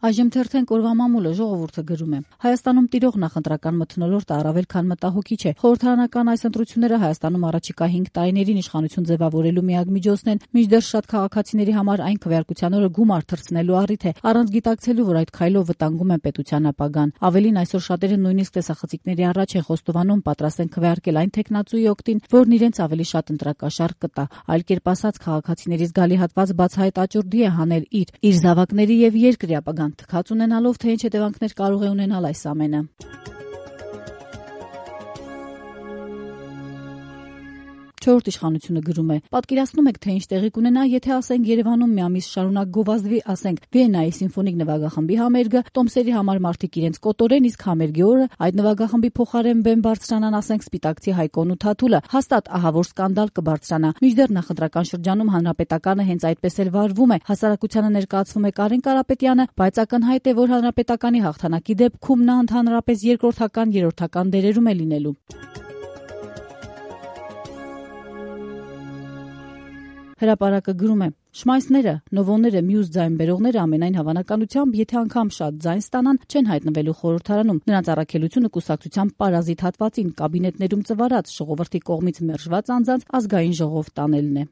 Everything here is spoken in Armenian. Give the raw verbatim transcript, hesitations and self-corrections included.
Այժմ թերթենք օրվա մամուլը ժողովուրդը գրում է. Հայաստանում տիրող նախընտրական մթնոլորտը առավել քան մտահոգիչ է։ Խորհրդարանական այս ընտրությունները Հայաստանում առաջիկա հինգ տարիներին իշխանություն ձևավորելու միակ միջոցն են, մինչդեռ շատ քաղաքացիների համար այն քվեարկության օրը գումար թռցնելու առիթ է, առանց գիտակցելու, որ այդ քայլով վտանգում են պետության ապագան։ Ավելին, այսօր շատերը նույնիսկ տեսախցիկների առաջ են խոստովանում պատրաստ են քվեարկել այն թեկնածուի օգտին, որն իրենց ավելի շատ ընտրակաշառք կտա։ Այլ կերպ ասած, քաղաքացիների զգալի հատված բացահայտ աճուրդի է հանել իր իր զավակների եւ երկրի ապագան թքած ունենալով, թե ինչ հետևանքներ կարող է ունենալ այս ամենը։ Չորրորդ իշխանությունը գրում է. պատկերացնում եք, թե ինչ տեղի կունենա, եթե ասենք Երևանում մի ամիս շարունակ գովազդվի, ասենք Վիեննայի սիմֆոնիկ նվագախմբի համերգը, տոմսերի համար մարդիկ իրենց կոտորեն, իսկ համերգի օրը այդ նվագախմբի փոխարեն բեմ բարձրանան, ասենք Սպիտակցի Հայկոն ու Թաթուլը, հաստատ ահավոր սկանդալ կբարձրանա։ Մինչդեռ նախընտրական շրջանում հանրապետականը հենց այդպես էլ վարվում է, հասարակությանը ներկայացվում է Կարեն Կարապետյանը, բայց ակնհայտ է, որ հանրապետականի հաղթանակի դեպքում նա ընդհանրապես երկրորդական, երրորդական դերերում է լինելու։ Հրապարակը գրում է. Շմայսները, նովոները, մյուս ձայն բերողները ամենայն հավանականությամբ, եթե անգամ շատ ձայն ստանան, չեն հայտնվելու խորհրդարանում։ Նրանց առաքելությունը կուսակցության պարազիտ հատվածին, կաբինետներում ծվարած, ժողովրդի կողմից մերժված անձանց ազգային ժողով տանելն է։